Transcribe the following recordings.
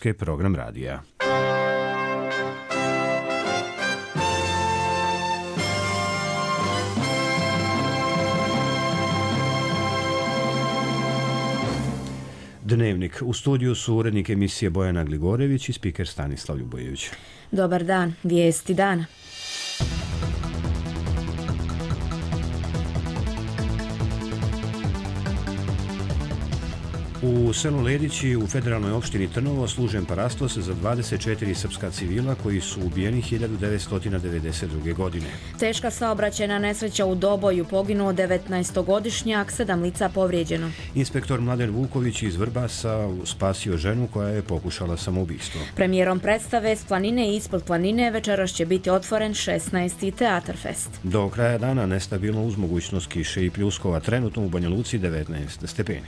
Hrvatske, program radija. Dnevnik. U studiju su urednik emisije Bojana Gligorević i spiker Stanislav Ljubojević. Dobar dan, vijesti dana. U selu Ledići u federalnoj opštini Trnovo služen parastos za 24 srpska civila koji su ubijeni 1992. godine. Teška saobraćajna nesreća u Doboju, poginuo 19-godišnjak, 7 lica povrijeđeno. Inspektor Mladen Vuković iz Vrbasa spasio ženu koja je pokušala samoubistvo. Premijerom predstave S planine i ispod planine večeras će biti otvoren 16. Teatar Fest. Do kraja dana nestabilno uz mogućnost kiše i pljuskova, trenutno u Banja Luci 19 stepeni.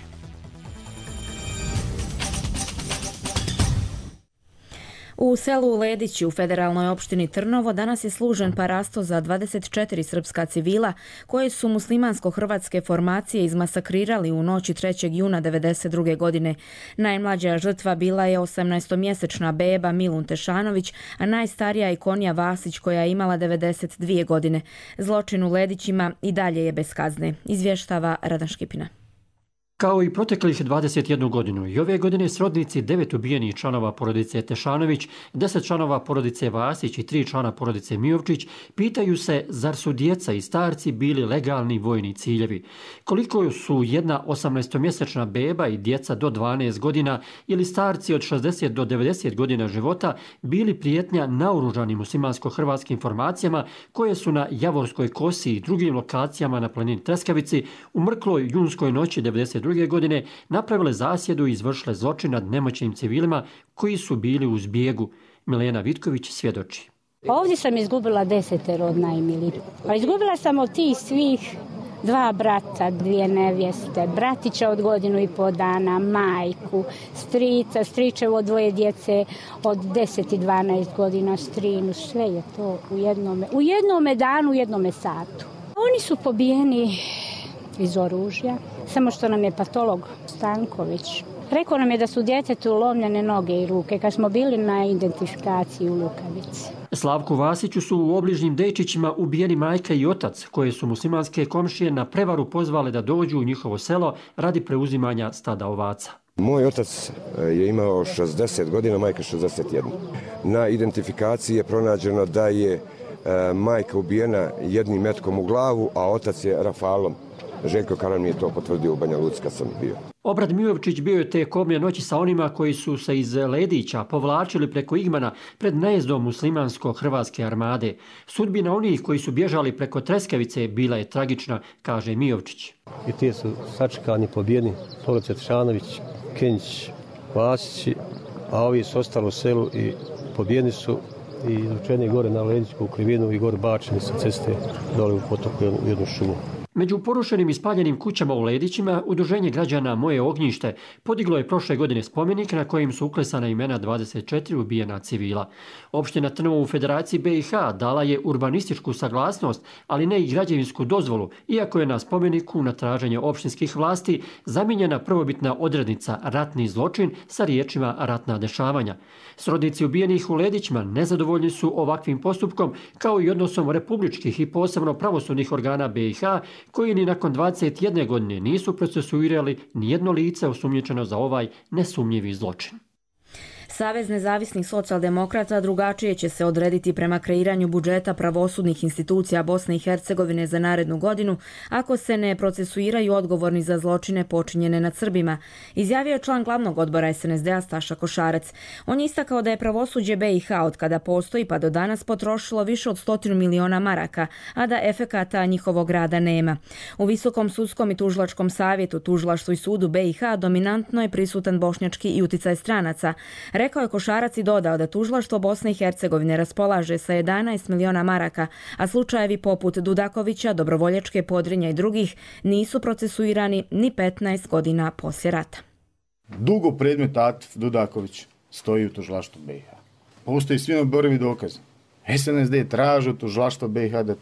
U selu Ledići u federalnoj opštini Trnovo danas je služen parastos za 24 srpska civila koje su muslimansko-hrvatske formacije izmasakrirali u noći 3. juna 1992. godine. Najmlađa žrtva bila je 18-mjesečna beba Milun Tešanović, a najstarija Ikonija Vasić koja je imala 92 godine. Zločin u Ledićima i dalje je bez kazne, izvještava Radan Škipina. Kao i proteklih 21 godinu, i ove godine srodnici 9 ubijenih članova porodice Tešanović, 10 članova porodice Vasić i 3 člana porodice Mijovčić pitaju se zar su djeca i starci bili legalni vojni ciljevi. Koliko su jedna 18-mjesečna beba i djeca do 12 godina ili starci od 60 do 90 godina života bili prijetnja naoružanim muslimansko-hrvatskim formacijama koje su na Javorskoj kosi i drugim lokacijama na planini Treskavici u mrkloj junskoj noći 92. godine napravile zasjedu i izvršile zločin nad nemoćnim civilima koji su bili u zbjegu. Milena Vitković svjedoči. Ovdje sam izgubila 10 od najmilijih. Pa izgubila sam od tih svih 2 brata, 2 nevjeste, bratića od 1,5 dana, majku, strica, stričevo 2 djece od 10 i 12 godina, strinu, sve je to u jednome danu, u jednome satu. Oni su pobijeni iz oružja, samo što nam je patolog Stanković rekao nam je da su djetetu lomljene noge i ruke kad smo bili na identifikaciji u Lukavici. Slavku Vasiću su u obližnjim Dejčićima ubijeni majka i otac, koje su muslimanske komšije na prevaru pozvale da dođu u njihovo selo radi preuzimanja stada ovaca. Moj otac je imao 60 godina, majka 61. Na identifikaciji je pronađeno da je majka ubijena jednim metkom u glavu, a otac je rafalom. Željko Karan mi je to potvrdio u Banja Luci kad sam bio. Obrad Mijovčić bio je te kobne noći sa onima koji su se iz Ledića povlačili preko Igmana pred najezdom muslimansko-hrvatske armade. Sudbina onih koji su bježali preko Treskavice bila je tragična, kaže Mijovčić. I ti su sačekani, pobijeni, porodica Tešanović, Kenjić, Vasići, a ovi su ostali u selu i pobijeni su i izvučeni gore na Ledićku krivinu i gore bačeni sa ceste dole u potoku u jednu šumu. Među porušenim i spaljenim kućama u Ledićima Udruženje građana Moje ognjište podiglo je prošle godine spomenik na kojim su uklesana imena 24 ubijena civila. Opština Trnovo u Federaciji BiH dala je urbanističku saglasnost, ali ne i građevinsku dozvolu, iako je na spomeniku na traženje opštinskih vlasti zamijenjena prvobitna odrednica ratni zločin sa riječima ratna dešavanja. Srodnici ubijenih u Ledićima nezadovoljni su ovakvim postupkom, kao i odnosom republičkih i posebno pravosudnih organa BiH, koji ni nakon 21 godine nisu procesuirali nijedno lice osumnjičeno za ovaj nesumnjivi zločin. Savez nezavisnih socijaldemokrata drugačije će se odrediti prema kreiranju budžeta pravosudnih institucija Bosne i Hercegovine za narednu godinu ako se ne procesuiraju odgovorni za zločine počinjene nad Srbima, izjavio je član glavnog odbora SNSD-a Staša Košarac. On je istakao da je pravosuđe BiH od kada postoji pa do danas potrošilo više od 100 miliona maraka, a da efekata njihovog rada nema. U Visokom sudskom i tužilačkom savjetu, tužilaštvu i sudu BiH dominantno je prisutan bošnjački i uticaj stranaca. Rekao je Košarac i dodao da tužilaštvo Bosne i Hercegovine raspolaže sa 11 miliona maraka, a slučajevi poput Dudakovića, Dobrovoljačke, Podrinja i drugih nisu procesuirani ni 15 godina poslije rata. Dugo predmet Atif Dudaković stoji u tužilaštvu BiH. Postoji svi oborivi dokazi. SNSD traži od tužilaštva BiH da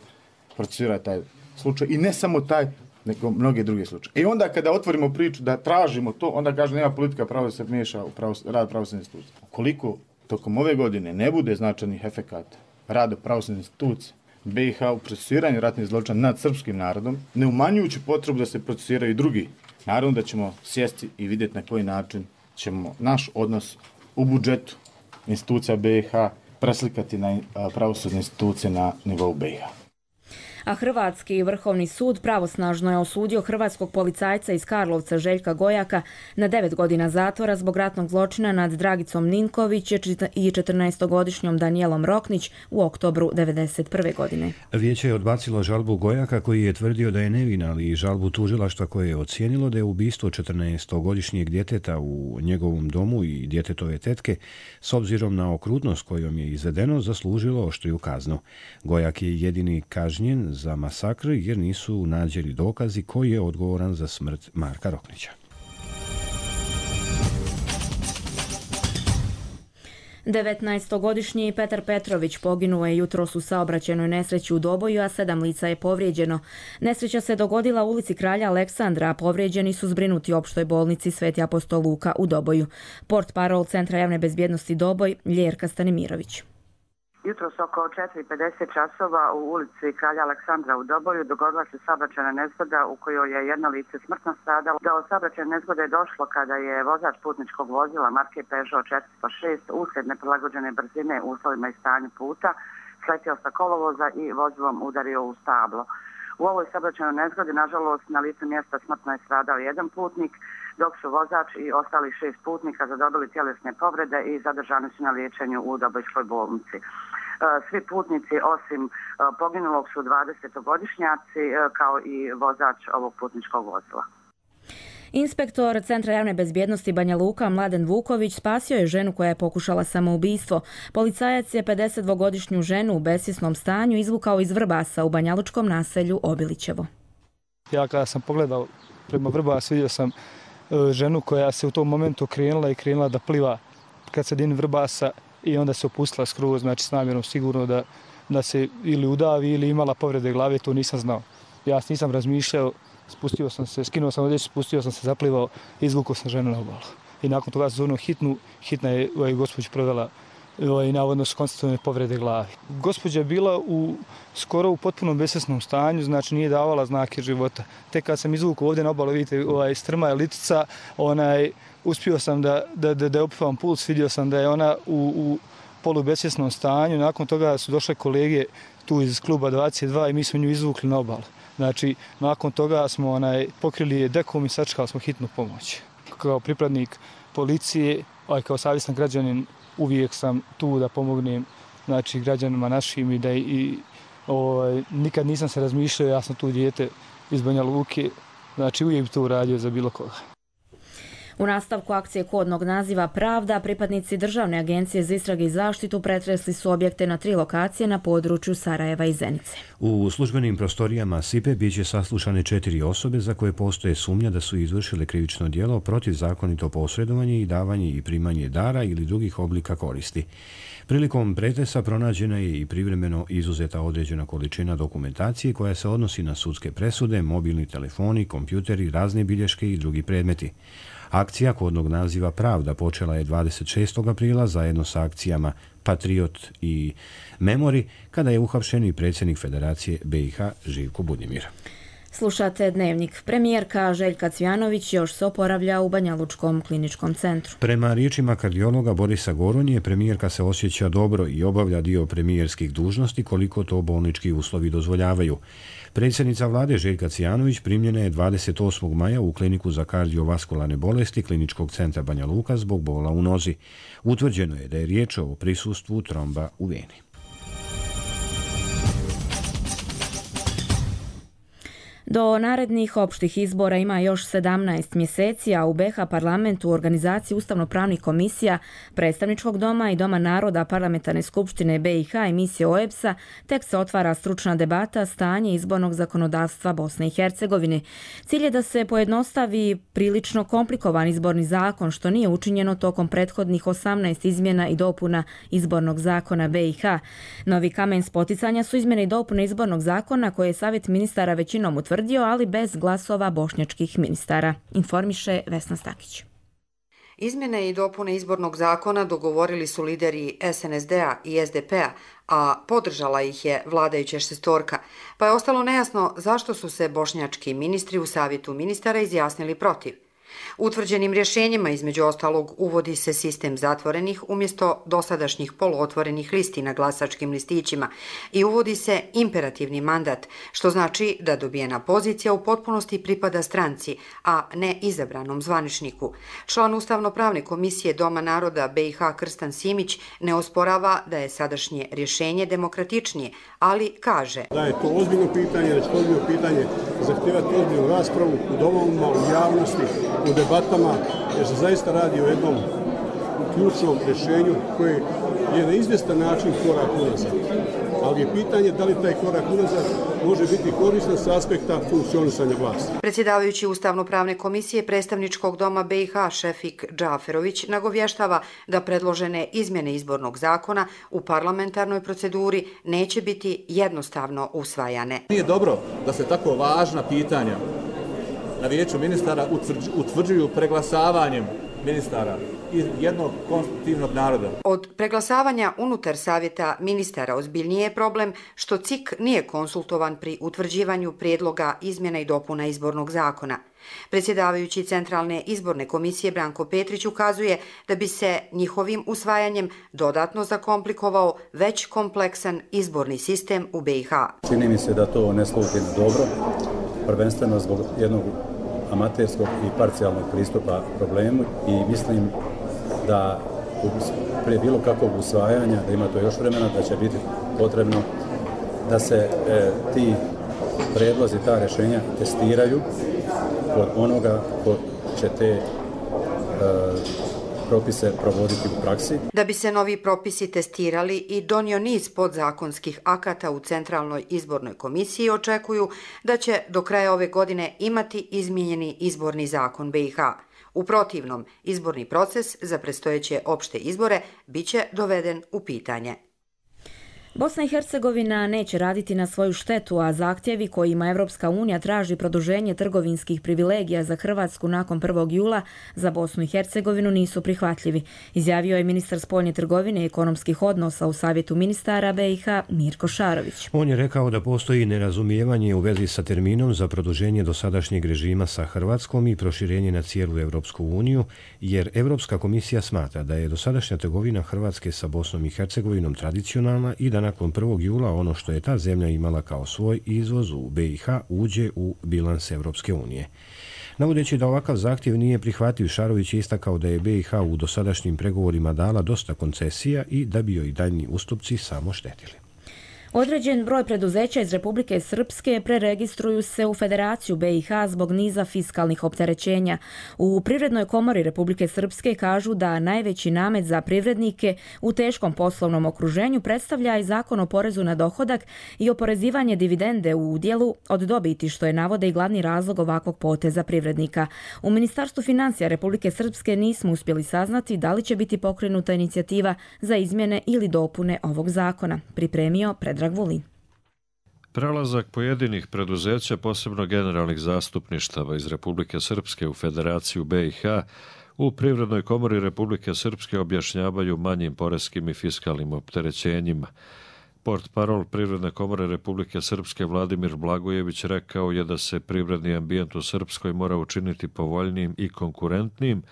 procesuira taj slučaj i ne samo taj, nego mnogi drugi slučaje. I onda kada otvorimo priču da tražimo to, onda kaže nema politika pravo da se miješa u rad pravosudne institucije. Ukoliko tokom ove godine ne bude značajnih efekata rada pravosudne institucije BiH u procesuiranju ratnih zločina nad srpskim narodom, ne umanjujući potrebu da se procesuiraju i drugi, naravno da ćemo sjesti i vidjeti na koji način ćemo naš odnos u budžetu institucija BiH preslikati na pravosudne institucije na nivou BiH. A Hrvatski vrhovni sud pravosnažno je osudio hrvatskog policajca iz Karlovca Željka Gojaka na 9 godina zatvora zbog ratnog zločina nad Dragicom Ninković i 14-godišnjom Danijelom Roknić u oktobru 1991. godine. Vijeće je odbacilo žalbu Gojaka koji je tvrdio da je nevin, ali i žalbu tužilaštva koje je ocijenilo da je ubistvo 14-godišnjeg djeteta u njegovom domu i djetetove tetke s obzirom na okrutnost kojom je izvedeno zaslužilo oštriju kaznu. Gojak je jedini kažnjen za masakr jer nisu nađeni dokazi koji je odgovoran za smrt Marka Roknića. 19-godišnji Petar Petrović poginuo je jutros u saobraćajnoj nesreći u Doboju, a 7 lica je povrijeđeno. Nesreća se dogodila u ulici Kralja Aleksandra, a povrijeđeni su zbrinuti u opštoj bolnici Sveti apostol Luka u Doboju. Portparol Centra javne bezbjednosti Doboj, Ljerka Stanimirović. Jutros oko 4:50 časova u ulici Kralja Aleksandra u Doboju dogodila se saobraćajna nezgoda u kojoj je jedno lice smrtno stradalo. Do saobraćajne nezgode je došlo kada je vozač putničkog vozila marke Peugeot 406 uslijed neprilagođene brzine u uslovima i stanju puta sletio sa kolovoza i vozilom udario u stablo. U ovoj saobraćajnoj nezgodi, nažalost, na licu mjesta smrtno je stradao jedan putnik, dok su vozač i ostali 6 putnika zadobili tjelesne povrede i zadržani su na liječenju u Dobojskoj bolnici. Svi putnici osim poginulog su 20-godišnjaci kao i vozač ovog putničkog vozila. Inspektor Centra javne bezbjednosti Banja Luka Mladen Vuković spasio je ženu koja je pokušala samoubistvo. Policajac je 52-godišnju ženu u besvjesnom stanju izvukao iz Vrbasa u banjalučkom naselju Obilićevo. Ja kada sam pogledao prema Vrbasu vidio sam ženu koja se u tom momentu krenula da pliva kad se dini Vrbasa i onda se opustila skroz, znači s namjerom sigurno da se ili udavi ili imala povrede glave, to nisam znao. Ja nisam razmišljao, spustio sam se, skinuo sam odjeću, spustio sam se, zaplivao, izvukao sam ženu na obalu. I nakon toga sam zovnuo hitna je gospođa provela i navodno su konstatovane povrede glave. Gospođa je bila skoro u potpunom besvjesnom stanju, znači nije davala znake života. Tek kad sam izvukao ovdje na obalu, vidite, strma je litica, uspio sam da opivam puls, vidio sam da je ona u polubesvjesnom stanju. Nakon toga su došle kolege tu iz kluba 22 i mi smo nju izvukli na obalu. Znači, nakon toga smo pokrili je dekom i sačekali smo hitnu pomoć. Kao pripadnik policije, kao savjestan građanin, uvijek sam tu da pomognem građanima našim i nikad nisam se razmišljao, ja sam tu dijete iz Banja Luke, znači uvijek bi to uradio za bilo koga. U nastavku akcije kodnog naziva Pravda, pripadnici Državne agencije za istrage i zaštitu pretresli su objekte na 3 lokacije na području Sarajeva i Zenice. U službenim prostorijama SIPE biće saslušane 4 osobe za koje postoje sumnja da su izvršile krivično djelo protivzakonito posredovanje i davanje i primanje dara ili drugih oblika koristi. Prilikom pretresa pronađena je i privremeno izuzeta određena količina dokumentacije koja se odnosi na sudske presude, mobilni telefoni, kompjuteri, razne bilješke i drugi predmeti. Akcija kodnog naziva Pravda počela je 26. aprila zajedno sa akcijama Patriot i Memori kada je uhapšen i predsjednik Federacije BiH Živko Budimir. Slušate Dnevnik. Premijerka Željka Cvjanović još se oporavlja u Banjalučkom kliničkom centru. Prema riječima kardiologa Borisa Goronje, premijerka se osjeća dobro i obavlja dio premijerskih dužnosti koliko to bolnički uslovi dozvoljavaju. Predsjednica vlade Željka Cvjanović primljena je 28. maja u kliniku za kardiovaskularne bolesti Kliničkog centra Banja Luka zbog bola u nozi. Utvrđeno je da je riječ o prisustvu tromba u veni. Do narednih opštih izbora ima još 17 mjeseci, a u BiH parlamentu u organizaciji ustavno-pravnih komisija, predstavničkog doma i Doma naroda parlamentarne skupštine BiH i misije OEBS-a tek se otvara stručna debata stanje izbornog zakonodavstva Bosne i Hercegovine. Cilj je da se pojednostavi prilično komplikovan izborni zakon, što nije učinjeno tokom prethodnih 18 izmjena i dopuna izbornog zakona BiH. Novi kamen spoticanja su izmjene i dopune izbornog zakona koje je Savjet ministara većinom utvrdio potvrdio, ali bez glasova bošnjačkih ministara, informiše Vesna Stakić. Izmjene i dopune izbornog zakona dogovorili su lideri SNSD-a i SDP-a, a podržala ih je vladajuća šestorka, pa je ostalo nejasno zašto su se bošnjački ministri u savjetu ministara izjasnili protiv. Utvrđenim rješenjima, između ostalog, uvodi se sistem zatvorenih umjesto dosadašnjih poluotvorenih listi na glasačkim listićima i uvodi se imperativni mandat, što znači da dobijena pozicija u potpunosti pripada stranci, a ne izabranom zvaničniku. Član Ustavno-pravne komisije Doma naroda BiH Krstan Simić ne osporava da je sadašnje rješenje demokratičnije, ali kaže da je to ozbiljno pitanje, da će to ozbiljno pitanje zahtijevati ozbiljnu raspravu u domovima, u javnosti, u debatama, jer se zaista radi o jednom ključnom rješenju koje je na izvjestan način korak unazad. Ali je pitanje da li taj korak unazad može biti koristan s aspekta funkcionisanja vlasti. Predsjedavajući Ustavno-pravne komisije predstavničkog doma BiH Šefik Džaferović nagovještava da predložene izmjene izbornog zakona u parlamentarnoj proceduri neće biti jednostavno usvajane. Nije dobro da se tako važna pitanja na vijeću ministara utvrđuju preglasavanjem ministara iz jednog konstitutivnog naroda. Od preglasavanja unutar savjeta ministara ozbiljnije je problem što CIK nije konsultovan pri utvrđivanju prijedloga izmjena i dopuna izbornog zakona. Predsjedavajući Centralne izborne komisije Branko Petrić ukazuje da bi se njihovim usvajanjem dodatno zakomplikovao već kompleksan izborni sistem u BiH. Čini mi se da to ne sluti dobro, prvenstveno zbog jednog amaterskog i parcijalnog pristupa problemu i mislim da prije bilo kakvog usvajanja, da ima to još vremena, da će biti potrebno da se ti prijedlozi, ta rješenja testiraju kod onoga ko će te propise provoditi u praksi. Da bi se novi propisi testirali i donio niz podzakonskih akata u Centralnoj izbornoj komisiji, očekuju da će do kraja ove godine imati izmijenjeni izborni zakon BiH. U protivnom, izborni proces za predstojeće opšte izbore biće doveden u pitanje. Bosna i Hercegovina neće raditi na svoju štetu, a zahtjevi kojima Evropska unija traži produženje trgovinskih privilegija za Hrvatsku nakon 1. jula za Bosnu i Hercegovinu nisu prihvatljivi, izjavio je ministar spoljne trgovine i ekonomskih odnosa u Savjetu ministara BiH Mirko Šarović. On je rekao da postoji nerazumijevanje u vezi sa terminom za produženje dosadašnjeg režima sa Hrvatskom i proširenje na cijelu Evropsku uniju, jer Evropska komisija smatra da je dosadašnja trgovina Hrvatske sa Bosnom i Hercegovinom tradicionalna i da nakon 1. jula ono što je ta zemlja imala kao svoj izvoz u BiH uđe u bilans Evropske unije. Navodeći da ovakav zahtjev nije prihvatljiv, Šarović je istakao da je BiH u dosadašnjim pregovorima dala dosta koncesija i da bi joj daljnji ustupci samo štetili. Određen broj preduzeća iz Republike Srpske preregistruju se u Federaciju BiH zbog niza fiskalnih opterećenja. U Privrednoj komori Republike Srpske kažu da najveći namet za privrednike u teškom poslovnom okruženju predstavlja i Zakon o porezu na dohodak i oporezivanje dividende u udjelu od dobiti, što je navode i glavni razlog ovakvog poteza privrednika. U Ministarstvu financija Republike Srpske nismo uspjeli saznati da li će biti pokrenuta inicijativa za izmjene ili dopune ovog zakona, pripremio Predrag Vulin. Prelazak pojedinih preduzeća, posebno generalnih zastupništava iz Republike Srpske u Federaciju BiH, u Privrednoj komori Republike Srpske objašnjavaju manjim poreskim i fiskalnim opterećenjima. Portparol Privredne komore Republike Srpske Vladimir Blagojević rekao je da se privredni ambijent u Srpskoj mora učiniti povoljnijim i konkurentnijim,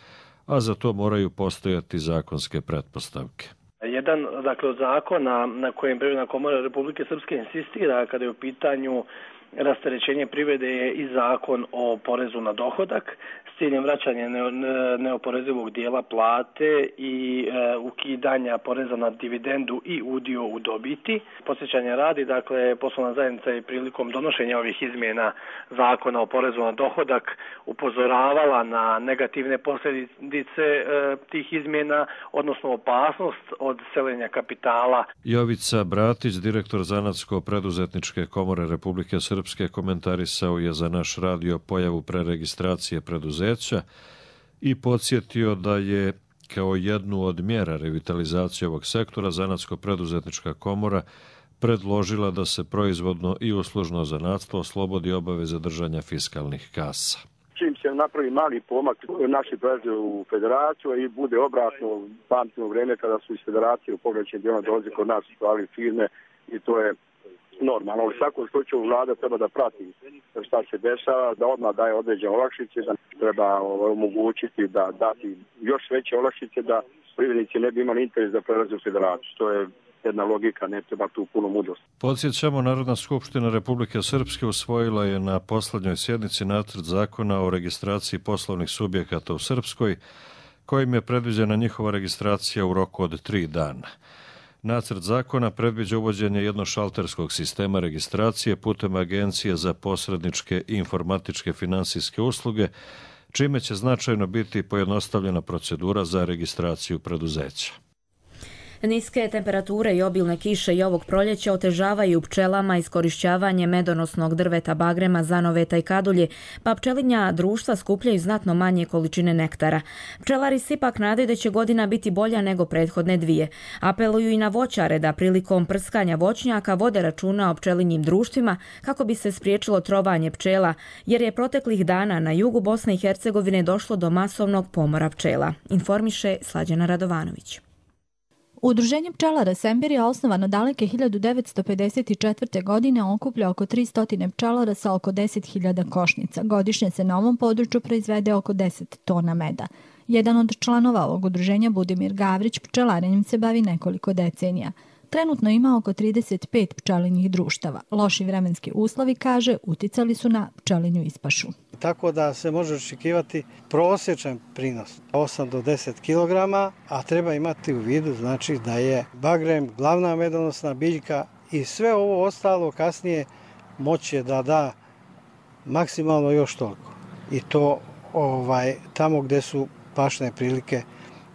a za to moraju postojati zakonske pretpostavke. Jedan, od zakona na kojem Privredna komora Republike Srpske insistira kada je u pitanju rasterećenje privrede je i zakon o porezu na dohodak s ciljem vraćanja neoporezivog dijela plate i ukidanja poreza na dividendu i udio u dobiti. Podsjećanja radi, poslovna zajednica je prilikom donošenja ovih izmjena zakona o porezu na dohodak upozoravala na negativne posljedice tih izmjena, odnosno opasnost od seljenja kapitala. Jovica Bratić, direktor Zanatsko-preduzetničke komore Republike Srpske, komentarisao je za naš radio pojavu preregistracije preduzeća i podsjetio da je kao jednu od mjera revitalizacije ovog sektora Zanatsko-preduzetnička komora predložila da se proizvodno i uslužno zanatstvo oslobodi obaveze držanja fiskalnih kasa. Čim se napravi mali pomak, naši prelaze u federaciju i bude obratno, pamtimo vreme kada su iz federacije u pograničnim dijelom dolazi kod nas stvari firme i to je normalno. U svakom slučaju vlada treba da prati šta se dešava, da odmah daje određene olakšice, da treba omogućiti da dati još veće olakšice da privrednici ne bi imali interes da prelaze u federaciju. To je jedna logika, ne treba tu puno mudrosti. Podsjećamo, Narodna skupština Republike Srpske usvojila je na poslednjoj sjednici nacrt zakona o registraciji poslovnih subjekata u Srpskoj, kojim je predviđena njihova registracija u roku od 3 dana. Nacrt zakona predviđa uvođenje jednošalterskog sistema registracije putem Agencije za posredničke i informatičke finansijske usluge, čime će značajno biti pojednostavljena procedura za registraciju preduzeća. Niske temperature i obilne kiše i ovog proljeća otežavaju pčelama iskorišćavanje medonosnog drveta bagrema, zanoveta i kadulje, pa pčelinja društva skupljaju znatno manje količine nektara. Pčelari se ipak nadaju da će godina biti bolja nego prethodne dvije. Apeluju i na voćare da prilikom prskanja voćnjaka vode računa o pčelinjim društvima kako bi se spriječilo trovanje pčela, jer je proteklih dana na jugu Bosne i Hercegovine došlo do masovnog pomora pčela, informiše Slađana Radovanović. Udruženje pčelara Sembirija, osnovano daleke 1954. godine, okuplja oko 300 pčelara sa oko 10.000 košnica. Godišnje se na ovom području proizvede oko 10 tona meda. Jedan od članova ovog udruženja, Budimir Gavrić, pčelarenjem se bavi nekoliko decenija. Trenutno ima oko 35 pčelinjih društava. Loši vremenski uslovi, kaže, uticali su na pčelinju ispašu. Tako da se može očekivati prosječan prinos 8 do 10 kg, a treba imati u vidu znači da je bagrem glavna medonosna biljka i sve ovo ostalo kasnije moće da da maksimalno još toliko. I to tamo gdje su pašne prilike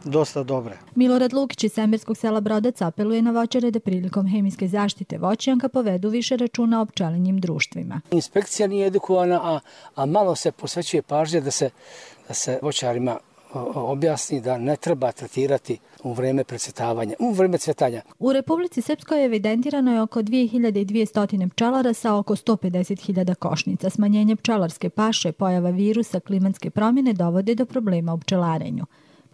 dosta dobre. Milorad Lukić iz Semberskog sela Brodac apeluje na voćare da prilikom hemijske zaštite voćnjaka povedu više računa o pčelinjim društvima. Inspekcija nije edukovana, a malo se posvećuje pažnje da se voćarima objasni da ne treba tretirati u vreme cvjetanja. U Republici Srpskoj evidentirano je oko 2200 pčelara sa oko 150.000 košnica. Smanjenje pčelarske paše, pojava virusa, klimatske promjene dovode do problema u pčelarenju.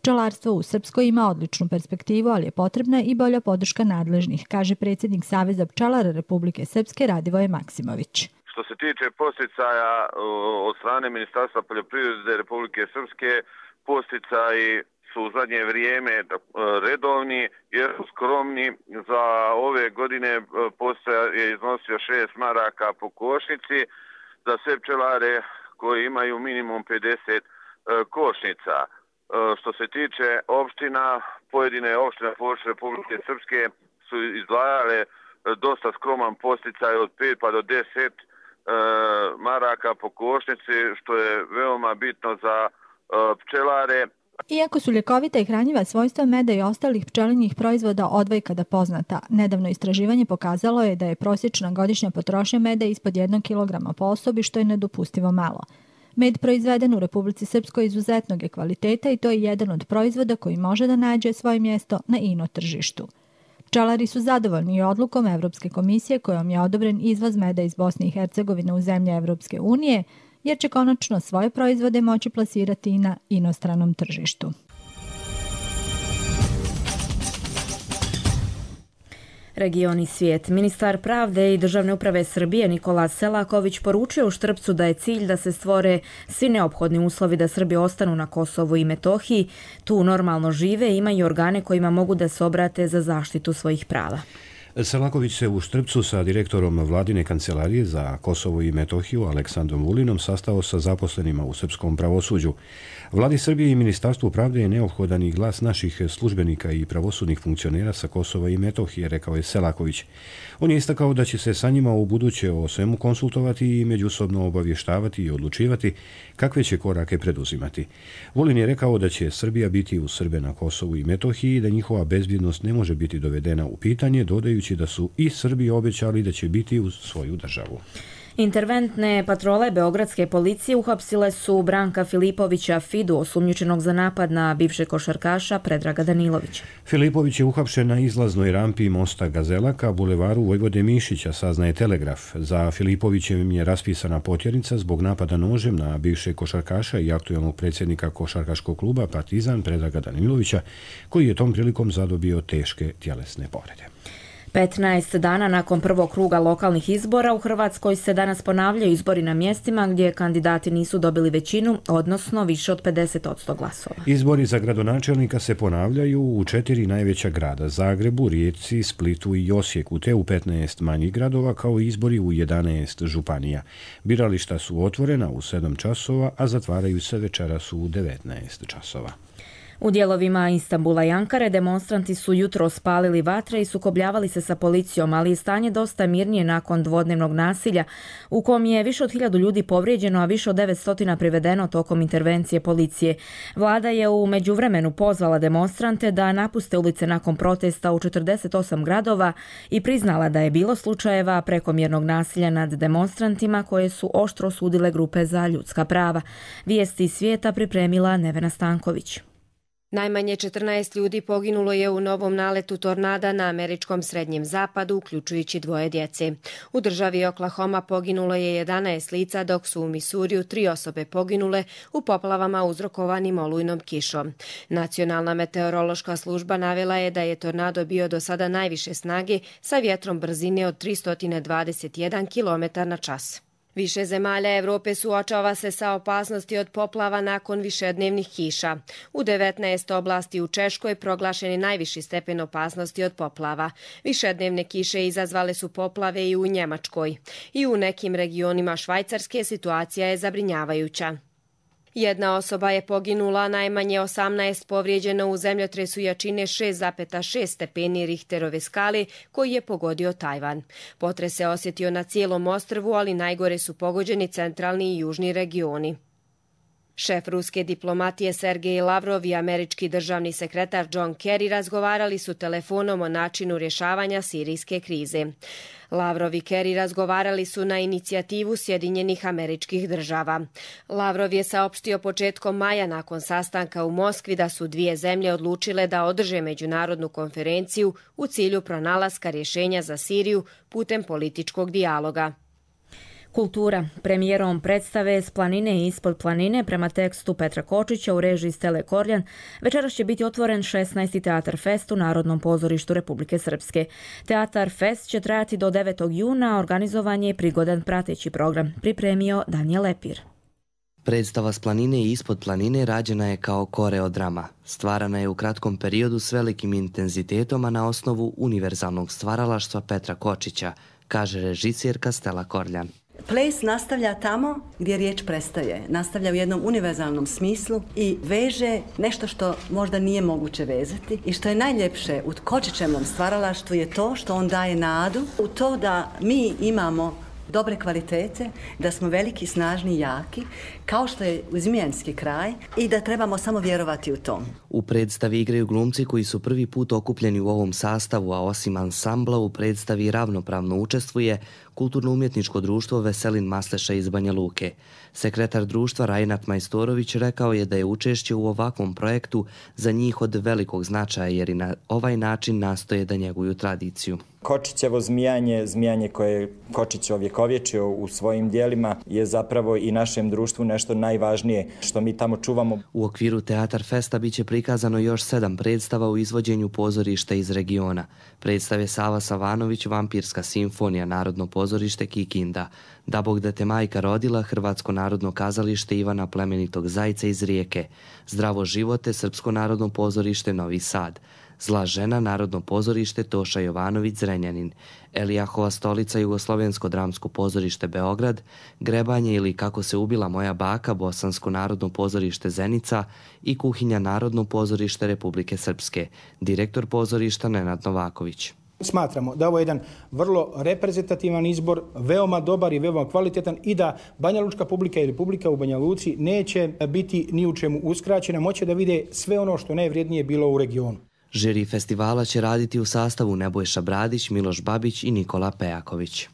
Pčelarstvo u Srpskoj ima odličnu perspektivu, ali je potrebna i bolja podrška nadležnih, kaže predsjednik Saveza pčelara Republike Srpske Radivoje Maksimović. Što se tiče podsticaja od strane Ministarstva poljoprivrede Republike Srpske, podsticaji su u zadnje vrijeme redovni jer su skromni. Za ove godine podsticaj je iznosio 6 maraka po košnici za sve pčelare koji imaju minimum 50 košnica. Što se tiče opština, pojedine opštine područja Republike Srpske su izdvajale dosta skroman podsticaj od 5 pa do 10 maraka po košnici, što je veoma bitno za pčelare. Iako su ljekovita i hranjiva svojstva meda i ostalih pčelinjih proizvoda odvojkada poznata, nedavno istraživanje pokazalo je da je prosječna godišnja potrošnja meda ispod 1 kg po osobi, što je nedopustivo malo. Med proizveden u Republici Srpskoj izuzetnog je kvaliteta i to je jedan od proizvoda koji može da nađe svoje mjesto na ino tržištu. Pčelari su zadovoljni odlukom Evropske komisije kojom je odobren izvoz meda iz Bosne i Hercegovine u zemlje Evropske unije, jer će konačno svoje proizvode moći plasirati i na inostranom tržištu. Region i svijet. Ministar pravde i državne uprave Srbije Nikola Selaković poručio u Štrpcu da je cilj da se stvore svi neophodni uslovi da Srbi ostanu na Kosovu i Metohiji, tu normalno žive i imaju organe kojima mogu da se obrate za zaštitu svojih prava. Selaković se u Štrpcu sa direktorom Vladine kancelarije za Kosovo i Metohiju Aleksandrom Vulinom sastao sa zaposlenima u srpskom pravosuđu. Vladi Srbije i Ministarstvu pravde je neophodan i glas naših službenika i pravosudnih funkcionera sa Kosova i Metohije, rekao je Selaković. On je istakao da će se sa njima u buduće o svemu konsultovati i međusobno obavještavati i odlučivati kakve će korake preduzimati. Vulin je rekao da će Srbija biti uz Srbe na Kosovu i Metohiji i da njihova bezbjednost ne može biti dovedena u pitanje, dodajući da su i Srbi obećali da će biti uz svoju državu. Interventne patrole beogradske policije uhapsile su Branka Filipovića Fidu, osumnjičenog za napad na bivšeg košarkaša Predraga Danilovića. Filipović je uhapšen na izlaznoj rampi mosta Gazela ka bulevaru Vojvode Mišića, saznaje Telegraf. Za Filipovićem je raspisana potjernica zbog napada nožem na bivšeg košarkaša i aktuelnog predsjednika košarkaškog kluba Partizan Predraga Danilovića, koji je tom prilikom zadobio teške tjelesne povrede. 15 dana nakon prvog kruga lokalnih izbora u Hrvatskoj se danas ponavljaju izbori na mjestima gdje kandidati nisu dobili većinu, odnosno više od 50% glasova. Izbori za gradonačelnika se ponavljaju u 4 najveća grada: Zagrebu, Rijeci, Splitu i Osijeku, te u 15 manjih gradova, kao i izbori u 11 županija. Birališta su otvorena u 7 časova, a zatvaraju se večeras u 19 časova. U dijelovima Istanbula i Ankare demonstranti su jutro spalili vatre i sukobljavali se sa policijom, ali je stanje dosta mirnije nakon dvodnevnog nasilja u kom je više od 1000 ljudi povrijeđeno, a više od 900 privedeno tokom intervencije policije. Vlada je u međuvremenu pozvala demonstrante da napuste ulice nakon protesta u 48 gradova i priznala da je bilo slučajeva prekomjernog nasilja nad demonstrantima koje su oštro osudile grupe za ljudska prava. Vijesti iz svijeta pripremila Nevena Stanković. Najmanje 14 ljudi poginulo je u novom naletu tornada na američkom srednjem zapadu, uključujući 2 djece. U državi Oklahoma poginulo je 11 lica, dok su u Misuriju 3 osobe poginule u poplavama uzrokovanim olujnom kišom. Nacionalna meteorološka služba navela je da je tornado bio do sada najviše snage sa vjetrom brzine od 321 km/h. Više zemalja Evrope suočava se sa opasnosti od poplava nakon višednevnih kiša. U 19 oblasti u Češkoj proglašen je najviši stepen opasnosti od poplava. Višednevne kiše izazvale su poplave i u Njemačkoj. I u nekim regionima Švajcarske situacija je zabrinjavajuća. 1 osoba je poginula, najmanje 18 povrijeđeno u zemljotresu jačine 6,6 stepeni Richterove skale koji je pogodio Tajvan. Potres se osjetio na cijelom ostrvu, ali najgore su pogođeni centralni i južni regioni. Šef ruske diplomatije Sergej Lavrov i američki državni sekretar John Kerry razgovarali su telefonom o načinu rješavanja sirijske krize. Lavrov i Kerry razgovarali su na inicijativu Sjedinjenih Američkih Država. Lavrov je saopštio početkom maja nakon sastanka u Moskvi da su 2 zemlje odlučile da održe međunarodnu konferenciju u cilju pronalaska rješenja za Siriju putem političkog dijaloga. Kultura. Premijerom predstave S planine i ispod planine prema tekstu Petra Kočića u režiji Stele Korljan večeras će biti otvoren 16. Teatar Fest u Narodnom pozorištu Republike Srpske. Teatar Fest će trajati do 9. juna, organizovan je prigodan prateći program. Pripremio Danijel Lepir. Predstava S planine i ispod planine rađena je kao koreodrama. Stvarana je u kratkom periodu s velikim intenzitetom, a na osnovu univerzalnog stvaralaštva Petra Kočića, kaže režisjerka Stela Korljan. Ples nastavlja tamo gdje riječ prestaje. Nastavlja u jednom univerzalnom smislu i veže nešto što možda nije moguće vezati. I što je najljepše u Kočićevom stvaralaštvu je to što on daje nadu u to da mi imamo dobre kvalitete, da smo veliki, snažni i jaki, kao što je Zmijanski kraj i da trebamo samo vjerovati u to. U predstavi igraju glumci koji su prvi put okupljeni u ovom sastavu, a osim ansambla u predstavi ravnopravno učestvuje Kulturno-umjetničko društvo Veselin Masleša iz Banja Luke. Sekretar društva Rajnat Majstorović rekao je da je učešće u ovakvom projektu za njih od velikog značaja jer i na ovaj način nastoje da njeguju tradiciju. Kočićevo zmijanje koje je Kočić ovjekovječio u svojim dijelima je zapravo i našem društvu nešto najvažnije što mi tamo čuvamo. U okviru Teatar Festa biće prikazano još 7 predstava u izvođenju pozorišta iz regiona. Predstave Sava Savanović, Vampirska simfonija, Narodno pozorište Kikinda, Da Bog da te majka rodila, Hrvatsko narodno kazalište Ivana Plemenitog Zajca iz Rijeke, Zdravo živote, Srpsko narodno pozorište Novi Sad, Zla žena, Narodno pozorište Toša Jovanović Zrenjanin, Elijahova stolica, Jugoslovensko dramsko pozorište Beograd, Grebanje ili Kako se ubila moja baka, Bosansko narodno pozorište Zenica i Kuhinja, Narodno pozorište Republike Srpske, direktor pozorišta Nenad Novaković. Smatramo da ovo je jedan vrlo reprezentativan izbor, veoma dobar i veoma kvalitetan i da Banja Lučka publika i Republika u Banja Luci neće biti ni u čemu uskraćena, moće da vide sve ono što najvrijednije bilo u regionu. Žiri festivala će raditi u sastavu Nebojša Bradić, Miloš Babić i Nikola Pejaković.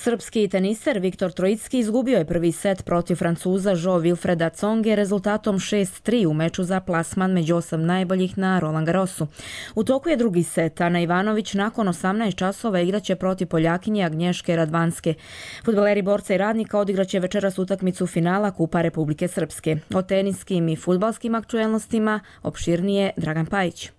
Srpski teniser Viktor Trojicki izgubio je prvi set protiv Francuza Jo-Wilfreda Tsonge rezultatom 6-3 u meču za plasman među 8 najboljih na Roland Garrosu. U toku je drugi set. Ana Ivanović nakon 18 časova igraće protiv Poljakinje Agnješke Radvanske. Fudbaleri Borca i Radnika odigraće večeras utakmicu finala Kupa Republike Srpske. O teniskim i fudbalskim aktuelnostima opširnije Dragan Pajić.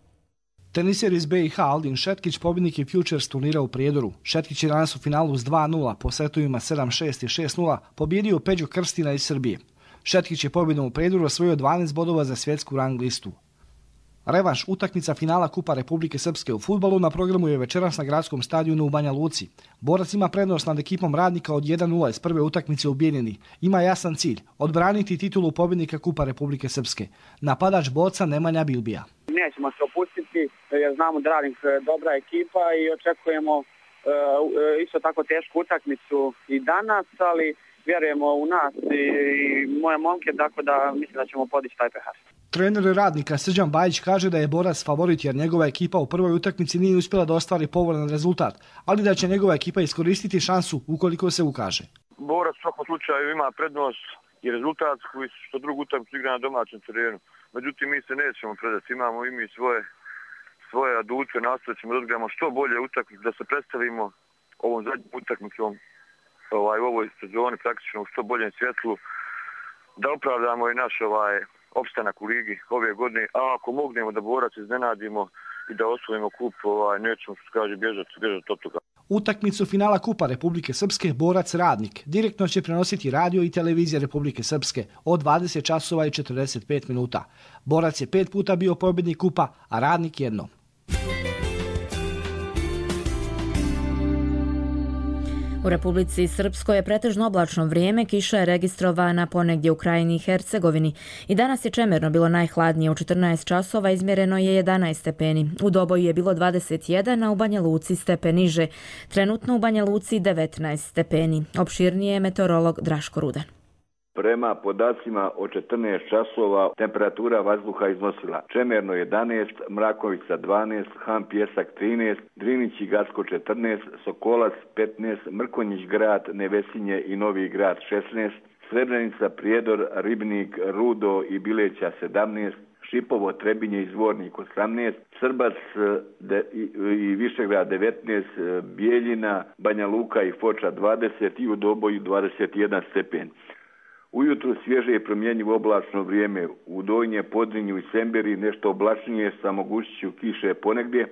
Teniser iz BiH Aldin Šetkić pobjednik je Futures turnira u Prijedoru. Šetkić je danas u finalu s 2-0 po setovima 7-6 i 6-0 pobjedio Peđu Krstina iz Srbije. Šetkić je pobjedom u Prijedoru osvojio 12 bodova za svjetsku rang listu. Revanš utakmica finala Kupa Republike Srpske u fudbalu na programu je večeras na gradskom stadionu u Banja Luci. Borac ima prednost nad ekipom Radnika od 1-0 iz prve utakmice u Bijeljini. Ima jasan cilj, odbraniti titulu pobjednika Kupa Republike Srpske. Napadač Borca Nemanja Bilbija. Nećemo se opustiti jer znamo da Radnik dobra ekipa i očekujemo isto tako tešku utakmicu i danas, ali vjerujemo u nas i moje momke, tako da mislim da ćemo podići taj pehar. Trener Radnika Srđan Bajić kaže da je Borac favorit jer njegova ekipa u prvoj utakmici nije uspjela da ostvari povoljan rezultat, ali da će njegova ekipa iskoristiti šansu ukoliko se ukaže. Borac u svakom slučaju ima prednost i rezultat koji što drugu utakmicu igra na domaćem terenu. Međutim, mi se nećemo predati, imamo i mi svoje adute, nastavit ćemo da odigramo što bolje utakmice, da se predstavimo ovom zadnjom utakmicom u ovoj sezoni praktično u što boljem svjetlu, da opravdamo i naš opstanak u ligi ove godine, a ako mognemo da Borac iznenadimo i da osvojimo kup, nećemo što kaže bježati od toga. Utakmicu finala Kupa Republike Srpske Borac Radnik direktno će prenositi radio i televizija Republike Srpske od 20 časova i 45 minuta. Borac je 5 puta bio pobjednik kupa, a Radnik jednom. U Republici Srpskoj je pretežno oblačno vrijeme, kiša je registrovana ponegdje u Krajini i Hercegovini. I danas je čemerno bilo najhladnije, u 14 časova izmjereno je 11 stepeni. U Doboju je bilo 21, a u Banja Luci stepen niže. Trenutno u Banja Luci 19 stepeni. Opširnije je meteorolog Draško Rudan. Prema podacima od 14 časova temperatura vazduha iznosila čemerno 11, Mrakovica 12, Han Pjesak 13, Drinić i Gacko 14, Sokolac 15, Mrkonjić grad, Nevesinje i Novi grad 16, Srebrenica, Prijedor, Ribnik, Rudo i Bileća 17, Šipovo, Trebinje i Zvornik 18, Srbac i Višegrad 19, Bijeljina, Banja Luka i Foča 20 i u Doboju 21 stepen. Ujutru svježe i promjenjivo oblačno vrijeme, u Donje, Podrinju i Semberi nešto oblačnije sa mogućnošću kiše ponegdje,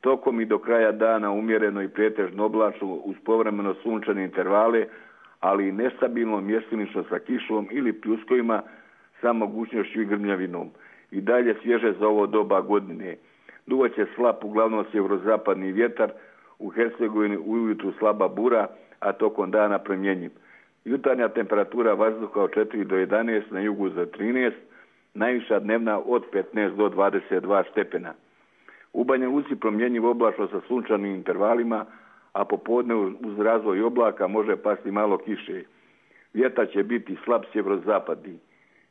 tokom i do kraja dana umjereno i pretežno oblačno uz povremeno sunčane intervale, ali i nestabilno mjestimično sa kišom ili pljuskovima sa mogućnošću i grmljavinom. I dalje svježe za ovo doba godine. Duvaće slab uglavnom sjeverozapadni vjetar, u Hercegovini ujutru slaba bura, a tokom dana promjenjiv. Jutarnja temperatura vazduha od 4 do 11, na jugu za 13, najviša dnevna od 15 do 22 stepena. U Banja Luci promjenjiv oblačno sa sunčanim intervalima, a popodne uz razvoj oblaka može pasti malo kiše. Vjetar će biti slab sjeverozapadni.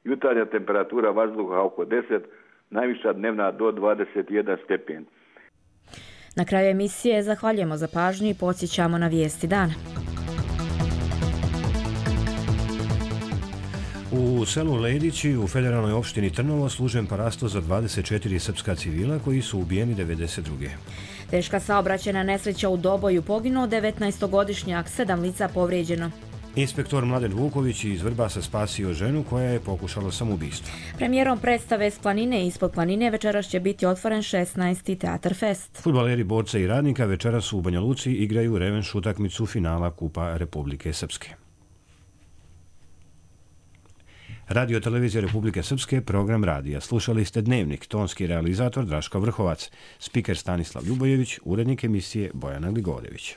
Jutarnja temperatura vazduha oko 10, najviša dnevna do 21 stepen. Na kraju emisije zahvaljujemo za pažnju i podsjećamo na vijesti dana. U selu Ledići u federalnoj opštini Trnovo služen parasto za 24 srpska civila koji su ubijeni 92. Teška saobraćajna nesreća u Doboju, poginuo 19-godišnjak, 7 lica povrijeđeno. Inspektor Mladen Vuković iz Vrbasa spasio ženu koja je pokušala samoubistvo. Premijerom predstave S planine i Ispod planine večeras će biti otvoren 16. Teatar Fest. Fudbaleri Borca i Radnika večeras u Banja Luci igraju revanš utakmicu finala Kupa Republike Srpske. Radio Televizija Republike Srpske, program radija. Slušali ste Dnevnik, tonski realizator Draško Vrhovac, spiker Stanislav Ljubojević, urednik emisije Bojana Gligorjević.